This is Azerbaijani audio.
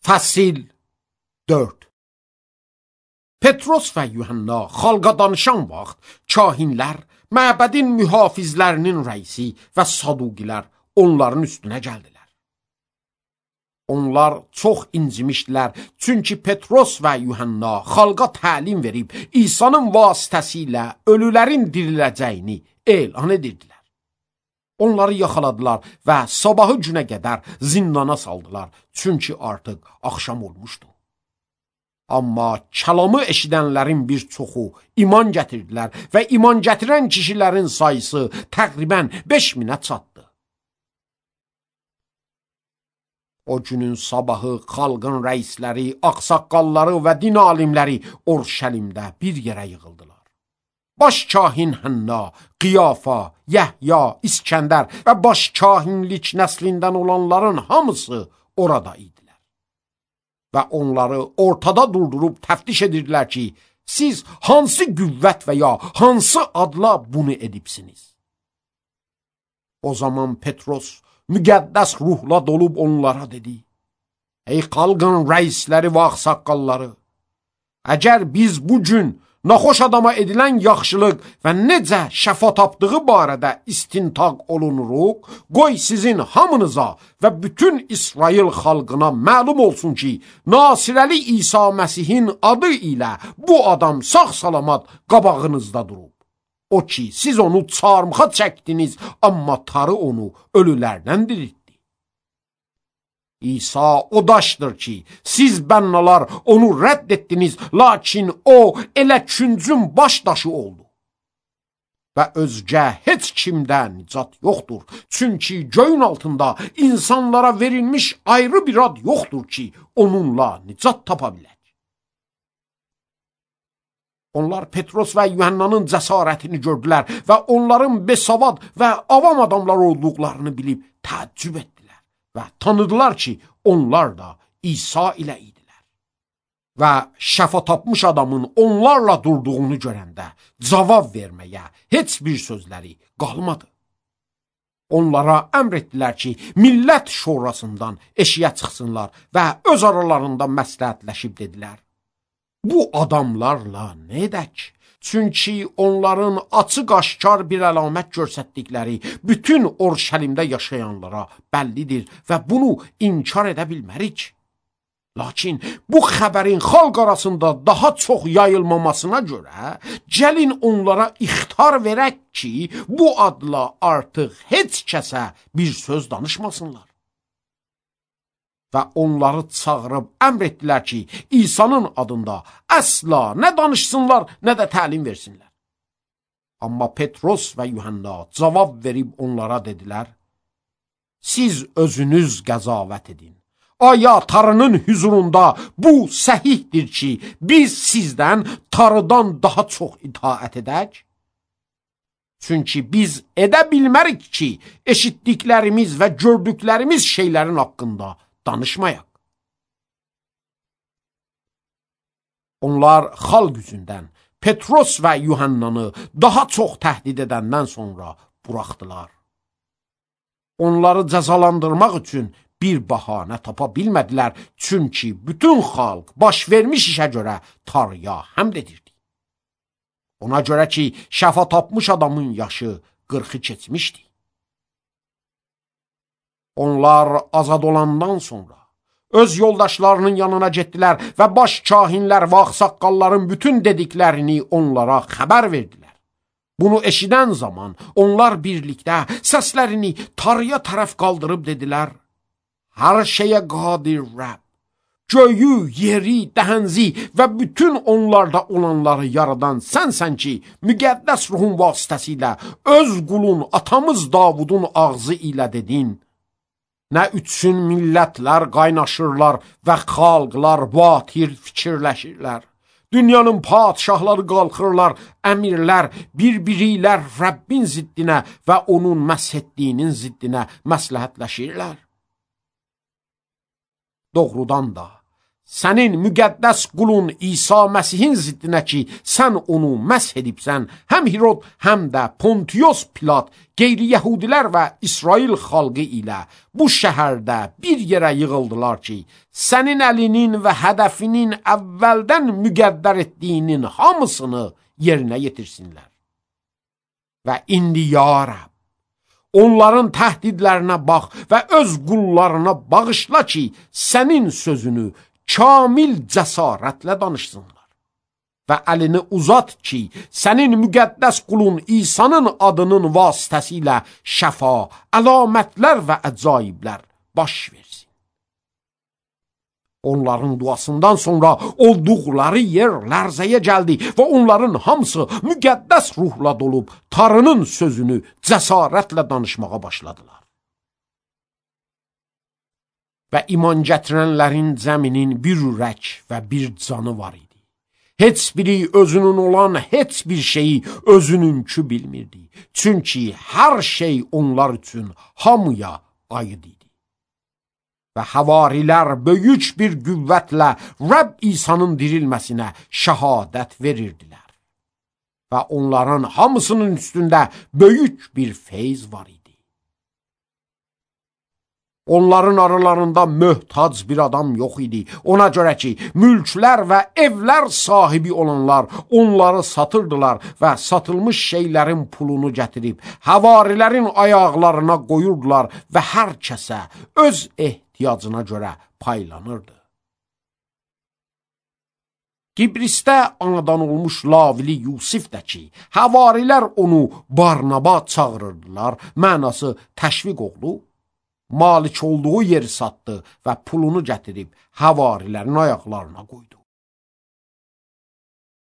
Fəsil 4. Petros və Yuhanna xalqa danışan vaxt kahinlər, məbədin mühafizlərinin rəisi və saduqilər onların üstünə gəldilər. Onlar çox incimişdilər, çünki Petros və Yuhanna xalqa təlim verib İsa'nın vasitəsilə ölülərin diriləcəyini elan edirdilər. Onları yaxaladılar və sabahı günə qədər zindana saldılar, çünki artıq axşam olmuşdu. Amma kəlamı eşidənlərin bir çoxu iman gətirdilər və iman gətirən kişilərin sayısı təqribən 5000-ə çatdı. O günün sabahı xalqın rəisləri, ağsaqqalları və din alimləri Urşəlimdə bir yerə yığıldılar. Baş kahin Hənna, Qiyafa, Yəhya, İskəndər və baş kahinlik nəslindən olanların hamısı orada idilər. Və onları ortada durdurub təftiş edirdilər ki, siz hansı qüvvət və ya hansı adla bunu edibsiniz? O zaman Petros müqəddəs ruhla dolub onlara dedi: Ey xalqın rəisləri və ağsaqqalları, əgər biz bu gün naxoş adama edilən yaxşılıq və necə şəfa tapdığı barədə istintaq olunuruq, qoy sizin hamınıza və bütün İsrail xalqına məlum olsun ki, Nasirəli İsa Məsihin adı ilə bu adam sağ-salamat qabağınızda durub. O ki, siz onu çarmıxa çəkdiniz, amma tarı onu ölülərdən diriltdi. İsa o daşdır ki, siz bənnalar onu rədd etdiniz, lakin o elə küncün baş daşı oldu. Və özgə heç kimdə nicat yoxdur, çünki göyün altında insanlara verilmiş ayrı bir ad yoxdur ki, onunla nicat tapa bilək. Onlar Petros və Yuhannanın cəsarətini gördülər və onların besavad və avam adamlar olduqlarını bilib təəccüb etdilər və tanıdılar ki, onlar da İsa ilə idilər. Və şəfa tapmış adamın onlarla durduğunu görəndə cavab verməyə heç bir sözləri qalmadı. Onlara əmr etdilər ki, millət şurasından eşiyə çıxsınlar və öz aralarında məsləhətləşib dedilər: Bu adamlarla nə edək? Çünki onların açıq-aşkar bir əlamət göstərdikləri bütün Urşəlimdə yaşayanlara bəllidir və bunu inkar edə bilmərik. Lakin bu xəbərin xalq arasında daha çox yayılmamasına görə gəlin onlara ixtar verək ki, bu adla artıq heç kəsə bir söz danışmasınlar. Və onları çağırıb əmr etdilər ki, İsa'nın adında əsla nə danışsınlar, nə də təlim versinlər. Amma Petros və Yuhanna cavab verib onlara dedilər: Siz özünüz qəzavət edin. Aya tarının hüzurunda bu səhihdir ki, biz sizdən tarıdan daha çox itaət edək? Çünki biz edə bilmərik ki, eşitdiklərimiz və gördüklərimiz şeylərin haqqında danışmayaq. Onlar xalq üzündən Petros və Yuhannanı daha çox təhdid edəndən sonra buraxdılar. Onları cəzalandırmaq üçün bir bəhanə tapa bilmədilər, çünki bütün xalq baş vermiş işə görə Tanrıya həmd edirdi. Ona görə ki, şəfa tapmış adamın yaşı 40'ı keçmişdi. Onlar azad olandan sonra öz yoldaşlarının yanına getdilər və baş kahinlər və ağsaqqalların bütün dediklərini onlara xəbər verdilər. Bunu eşidən zaman onlar birlikdə səslərini Tanrıya tərəf qaldırıb dedilər: Hər şeyə qadir Rəbb, göyü, yeri, dəhənzi və bütün onlarda olanları yaradan sənsən ki, müqəddəs ruhun vasitəsilə öz qulun atamız Davudun ağzı ilə dedin: Nə üçün millətlər qaynaşırlar və xalqlar batil fikirləşirlər. Dünyanın padişahları qalxırlar, əmirlər bir-biri ilə Rəbbin ziddinə və onun məshətdiyinin ziddinə məsləhətləşirlər. Doğrudan da sənin müqəddəs qulun İsa Məsihin ziddinə ki, sən onu məsh edibsən, həm Hirod, həm də Pontius Pilat, qeyri-yəhudilər və İsrail xalqı ilə bu şəhərdə bir yerə yığıldılar ki, sənin əlinin və hədəfinin əvvəldən müqəddər etdiyinin hamısını yerinə yetirsinlər. Və indi ya Rəbb, onların təhdidlərinə bax və öz qullarına bağışla ki, sənin sözünü kamil cəsarətlə danışsınlar. Və əlini uzat ki, sənin müqəddəs qulun İsa'nın adının vasitəsilə şəfa, əlamətlər və əcaiblər baş versin. Onların duasından sonra olduqları yer lərzəyə gəldi və onların hamısı müqəddəs ruhla dolub Tanrının sözünü cəsarətlə danışmağa başladılar. Və iman gətirənlərin cəminin bir ürək və bir canı var idi. Heç biri özünün olan heç bir şeyi özününkü bilmirdi. Çünki hər şey onlar üçün hamıya aid idi. Və havarilər böyük bir qüvvətlə Rəbb İsa'nın dirilməsinə şəhadət verirdilər. Və onların hamısının üstündə böyük bir feyz var idi. Onların aralarında möhtac bir adam yox idi. Ona görə ki, mülklər və evlər sahibi olanlar onları satırdılar və satılmış şeylərin pulunu gətirib havarilərin ayaqlarına qoyurdular və hər kəsə öz ehtiyacına görə paylanırdı. Qibrisdə anadan olmuş Lavili Yusif də ki, havarilər onu Barnaba çağırırdılar, mənası təşviq oğlu, malik olduğu yeri satdı və pulunu gətirib havarilərin ayaqlarına qoydu.